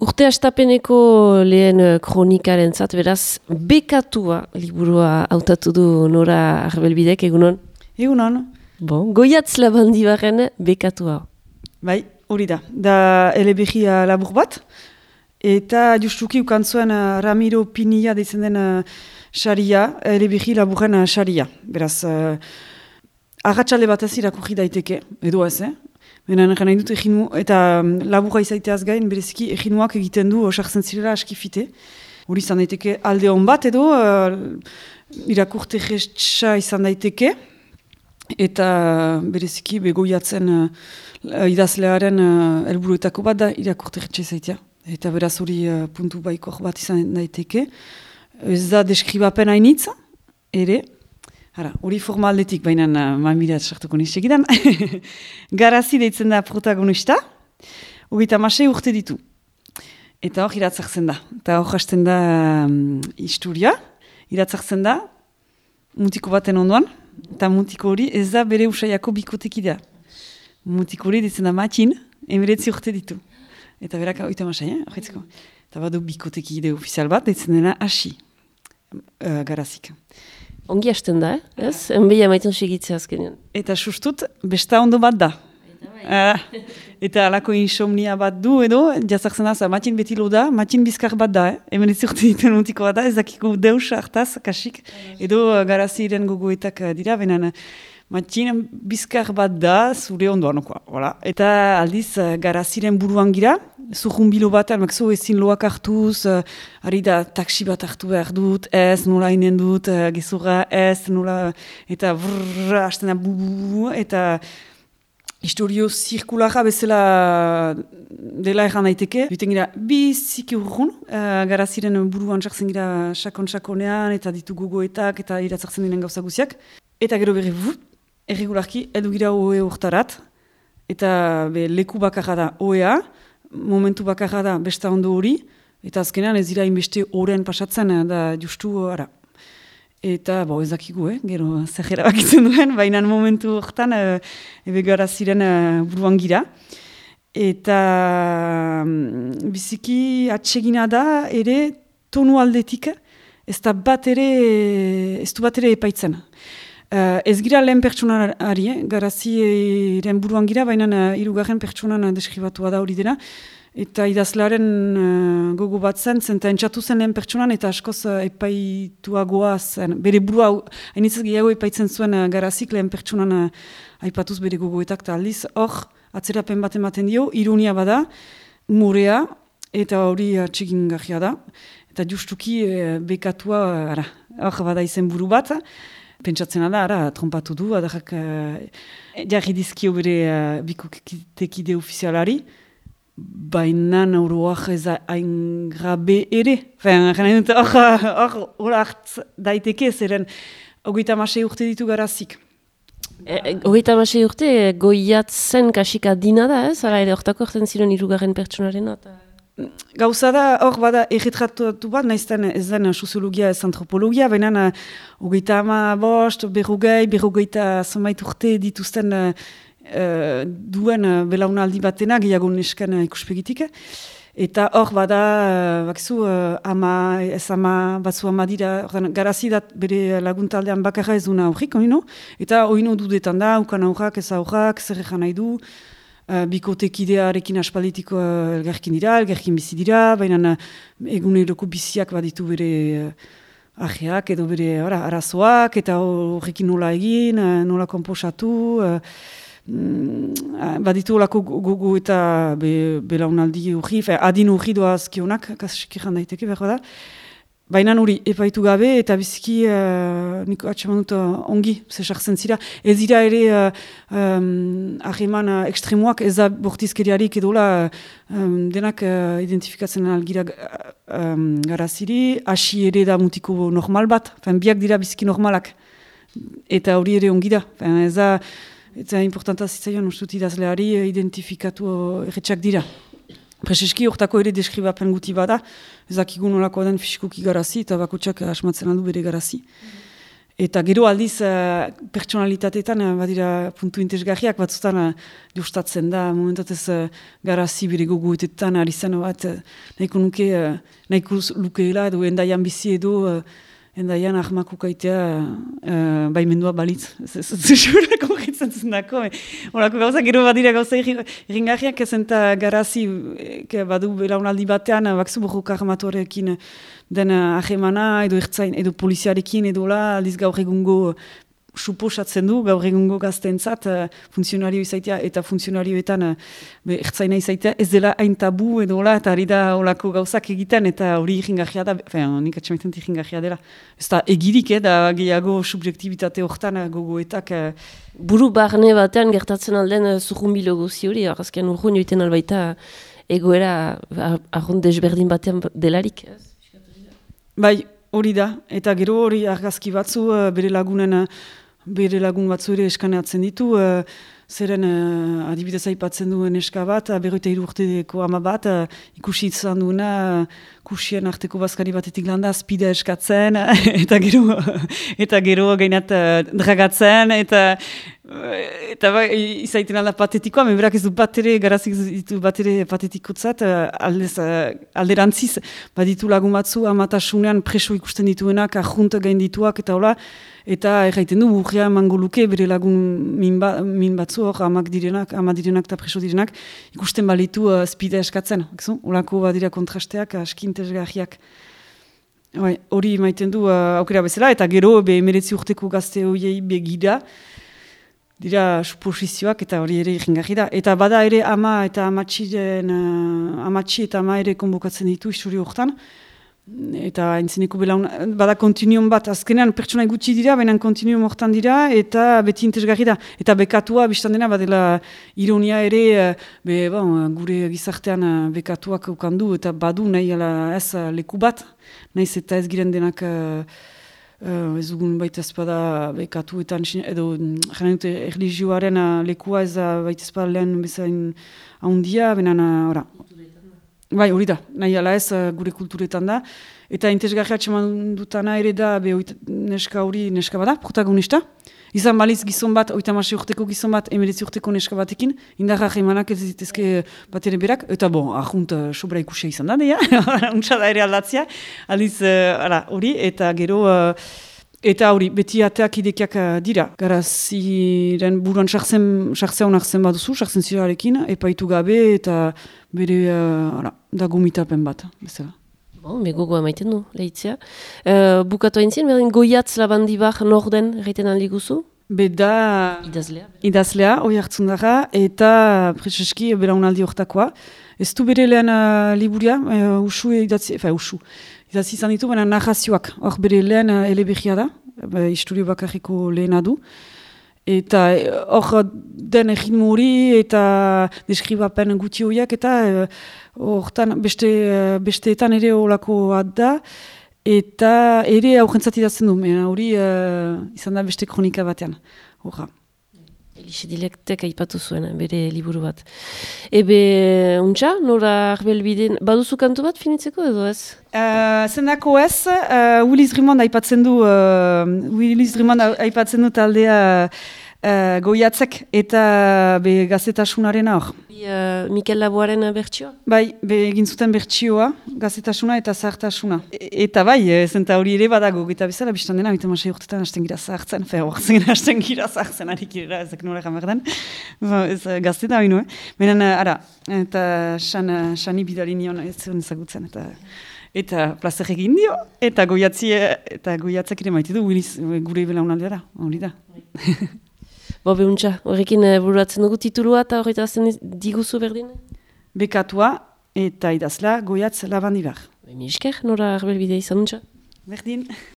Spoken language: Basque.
Urte astapeneko lehen kronikaren zat, beraz, bekatua liburua hautatu du Nora Arbelbidek, egunon? Egunon. Bon, Goiatz Labandibaren bekatua. Bai, hori da eleberri labur bat, eta justuki ukantzuen Ramiro Pinilla deitzen den saria, eleberri laburren saria. Beraz, agatxale bat ez irakurri daiteke, edo ez, Benen nahi dut eginu, eta laburra izaiteaz gain, bereziki eginuak egiten du sartzen zirela askifite. Hori izan daiteke alde hon bat edo, irakurte gestsa izan daiteke, eta bereziki begoiatzen idazlearen helburuetako bat da irakurte gestsa izaitea. Eta beraz hori puntu baikor bat izan daiteke. Ez da deskribapen hainitza, ere. Hori formaldetik, baina mamirat sartuko nisegidan. Garazi deitzen da protagonista, 36 urte ditu. Eta hor iratzartzen da. Eta hor hasten da historia, iratzartzen da mutiko baten ondoan, eta mutiko hori ez da bere usaiako bikotekidea. Mutiko hori deitzen da Matin, 19 urte ditu. Eta berak 36, horretzeko. Eta badu bikotekide ofizial bat, deitzen dena Asi, Garazik. Ongi hasten da, ez? Enbeia maiten segitzea azkenean. Eta sustut, besta ondo bat da. Eta alako insomnia bat du edo, jazartzen da, Matin beti lo da, Matin bizkar bat da, hemen ez urte ditu mutiko bat da, ez dakiko deus hartaz, kasik, edo Garaziren gogoetak dira, benen Matin bizkar bat da, zure ondoan, voilà. Eta aldiz Garaziren buruan gira, zurrumbilo bat, almakzo ezin loak hartuz, ari da taksi bat hartu behar dut, ez, nola inen dut, gezurra, ez, nola, eta brrrr, hasten da bu, eta historio zirkulara bezala dela erran daiteke. Duten gira, biziki urrun, Garaziren buruan sartzen gira sakon-sakonean, eta ditu gogoetak, eta iratzartzen diren gauza guziak. Eta gero berri, erregularki, edu gira oe urtarat, eta leku bakarra da oea, momentu bakarra da besta ondo hori, eta azkenean ez dira inbeste oren pasatzen da justu ara. Eta ez dakigu, gero zerrera bakitzen duen, baina momentu horretan ebe Garaziren buruan gira. Eta biziki atsegina da ere tonu aldetik, ez du bat ere epaitzen. Ez gira lehen pertsonari, Garaziren buruan gira, baina hirugarren pertsonan deskribatua da hori dena. Eta idazlearen gogo bat zen, eta entzatu zen lehen pertsonan, eta askoz epaituagoa zen. Bere burua, hainitzez gehiago epaitzen zuen Garazik lehen pertsonan aipatuz bere gogoetak, eta aldiz hor, atzerapen bat ematen dio, ironia bada, humorea, eta hori atsegin gajia da. Eta justuki bekatua, hor bada izen buru bat, pentsatzen da, trompatu du, adarrak jarri dizkio bere bikotekide ofizialari, baina nauroak ez hain grabe ere. Hor hartz daiteke, zeren 36 urte ditu Garazik. 36 urte Goiatzen kasika dina da, ez? Hala ere, hortako horten ziren hirugarren pertsonarena. Gauza da, hor bada erretratatu bat, naizten ez den soziologia ez antropologia, baina 35, 40, zonbait urte dituzten duen belaunaldi batena, gehiago nesken ikuspegitik. Eta hor bada, bakizu, batzu ama dira, Garazi dat bere laguntaldean bakarra ez duna aurrik, eta oino dudetan da, ukan aurrak, ez aurrak, zer egan nahi du, bikotekidearekin aspalditiko elgarkin dira, elgarkin bizi dira, baina eguneroko biziak baditu bere ajeak edo bere arazoak, eta horrekin nola egin, nola komposatu, baditu olako gogo eta belaunaldi urri, adin urri doazkionak, kasikeran daiteke behar da. Baina hori, epaitu gabe, eta biziki, niko atxeman dut ongi, zesartzen zira. Ez dira ere ahreman ekstremoak, ez da bortizkeriarik edola denak identifikatzen algira Garaziri, Asi ere da mutiko normal bat, biak dira biziki normalak, eta hori ere ongi da. Ez da importanta zitzaion ustut idazleari identifikatu erretxak dira. Prezeski hortako ere deskribapen guti bada, ezakigun nolako den fisikoki Garazi, eta bakotxak asmatzen aldu bere Garazi. Eta gero aldiz pertsonalitateetan badira puntu interesgarriak batzutan justatzen da, momentatez garazi bere gogoetetan ari zen bat nahiko nuke, nahiko lukeela edo endaian bizi edo endaian ahmako kaitea baimendua balitz. Ez zuzurak horretzen zendako. Horako gauza, gero badira gauza irringarriak ezenta garazi badu belaunaldi batean bakzu borroka armatuarekin den ahemana edo ertzain edo poliziarekin edo la aldiz gaur egungo suposatzen du, gaur egungo gazteentzat funtzionario izaitea eta funtzionarioetan ertzaina izaitea ez dela hain tabu edo la eta ari da olako gauzak egiten eta hori irringarria da, nik atxamaiten irringarria dela. Ez da egirik, da gehiago subjektibitate horretan gogoetak. Buru barne batean gertatzen alden zurrunbilo guzi hori, arrazkean urrun joiten albaita egoera arrun desberdin batean delarik. Bai, hori da, eta gero hori argazki batzu bere lagun batzu ere eskaneatzen ditu, zeren adibidez aipatzen duen eska bat, 53 urteko ama bat, ikusi izan duena, kusien arteko bazkari batetik landa, spida eskatzen, eta gero gainat dragatzen, eta bai, izaiten alda patetikoa, berak ez du batere, garazik ditu batere patetikotzat, alderantziz, baditu lagun batzu, amatasunean preso ikusten dituenak, ajunt gain dituak, eta hola, eta erraiten du, urria emango luke, bere lagun min batzu hor, ama direnak eta preso direnak, ikusten balitu spida eskatzen, holako badira kontrasteak, askintesgarriak. Hori maiten du aukera bezala, eta gero, 19 urteko gazte horiei begira, dira suposizioak eta hori ere irringarri da. Eta bada ere ama eta amatxi eta ama ere konbokatzen ditu isturi horretan. Eta entzeneko bada kontinuum bat, azkenean pertsona gutxi dira, baina kontinuum horretan dira, eta beti interesgarri da. Eta bekatua, biztan dena, badela ironia ere, gure gizartean bekatuak ukandu, eta badu nahi ez leku bat, nahiz eta ez giren denak ez dugun baita ezpada bekatuetan, edo jaren dute erlijioaren lekua ez baita ezpada lehen bezain haundia, benen, ora. Bai, hori da, nahi ala ez gure kulturetan da. Eta interesgarria txeman dutana ere da, neska hori neska bada, protagonista. Izan baliz gizon bat, 36 urteko gizon bat, 19 urteko neska batekin, indarra emanak ez ditezke bat ere berak, eta ahunt sobra ikusia izan da, deia, untsa da ere aldatzea, aliz, hori, eta gero, eta hori, beti ateak idekiak dira. Garaziren buruan sartzea honak zen baduzu, sartzen zirarekin, epaitu gabe, eta bere, da gomitapen bat, bezala. Gogoa maiten du, lehitzea. Bukatu haintzien, berdin Goiatz Labandibar norden egiten aldi guzu? Beda idazlea, hori hartzun dara, eta prezeski belaunaldi hortakoa. Ez du bere lehen liburia, usu idatzi izan ditu, baina narrazioak, hor bere lehen eleberria da, istorio bakarriko lehena du. Eta hor den egin hori eta deskribapen guti horiak eta hortan besteetan ere olako da eta ere aurrentzat idazten du, hori izan da beste kronika batean. Elixe Dilektek aipatu zuen, bere liburu bat. Ebe, untxa, nora arbelbiden, baduzu kantu bat finitzeko edo ez? Zendako ez, Willis Drummond aipatzen du taldea Goiatzek eta gazetasunaren hor. Mikel Laboaren bertsioa? Bai, egin zuten bertsioa, gazetasuna eta zahartasuna. Eta bai, zenta hori ere badago, eta bezala biztan dena, 26 urtetan hasten gira zahartzen, hasten gira zahartzen, harik irera, ezek nola gamerden. Ez gazteta hori nuen. Benen, eta Xani bidali nion ez zuen ezagutzen, eta plazer egin dio, eta Goiatzek ere maite du, gure belaunaldea da, hori da. Behuntza, horrekin bururatzen dugu titulua eta horretazten diguzu berdin? Bekatua eta idazla Goiatz Labandibar. Esker, nora arbelbidea izan untza? Berdin.